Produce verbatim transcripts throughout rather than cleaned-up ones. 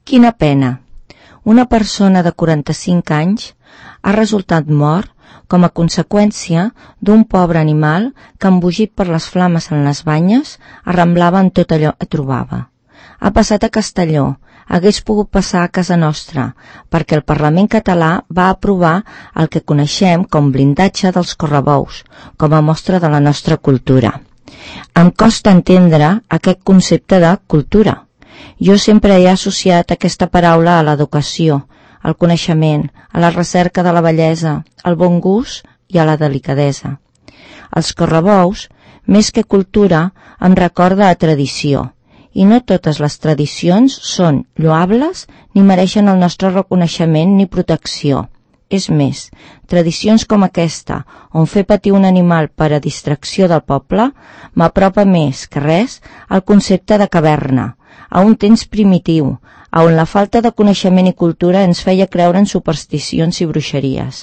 Quina pena! Una persona de quaranta-cinc anys ha resultat mort com a conseqüència d'un pobre animal que, embogit per les flames en les banyes, arramblava en tot allò que trobava. Ha passat a Castelló, hagués pogut passar a casa nostra, perquè el Parlament català va aprovar el que coneixem com blindatge dels correbous, com a mostra de la nostra cultura. Em costa entendre aquest concepte de cultura. Jo sempre he associat aquesta paraula a l'educació, al coneixement, a la recerca de la bellesa, al bon gust i a la delicadesa. Els correbous, més que cultura, em recorda a tradició, i no totes les tradicions són lloables ni mereixen el nostre reconeixement ni protecció. És més, tradicions com aquesta, on fer patir un animal per a distracció del poble, m'apropa més que res al concepte de caverna, a un temps primitiu, on la falta de coneixement i cultura ens feia creure en supersticions i bruixeries.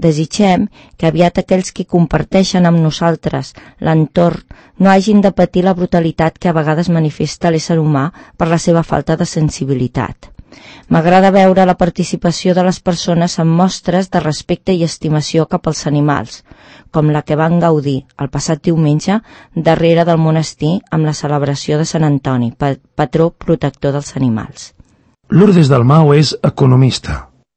Desitgem que aviat aquells que comparteixen amb nosaltres l'entorn no hagin de patir la brutalitat que a vegades manifesta l'ésser humà per la seva falta de sensibilitat. M'agrada veure la participació de les persones en mostres de respecte i estimació cap als animals, com la que van gaudir el passat diumenge darrere del monestir amb la celebració de Sant Antoni, patró protector dels animals. Lourdes Dalmau és economista.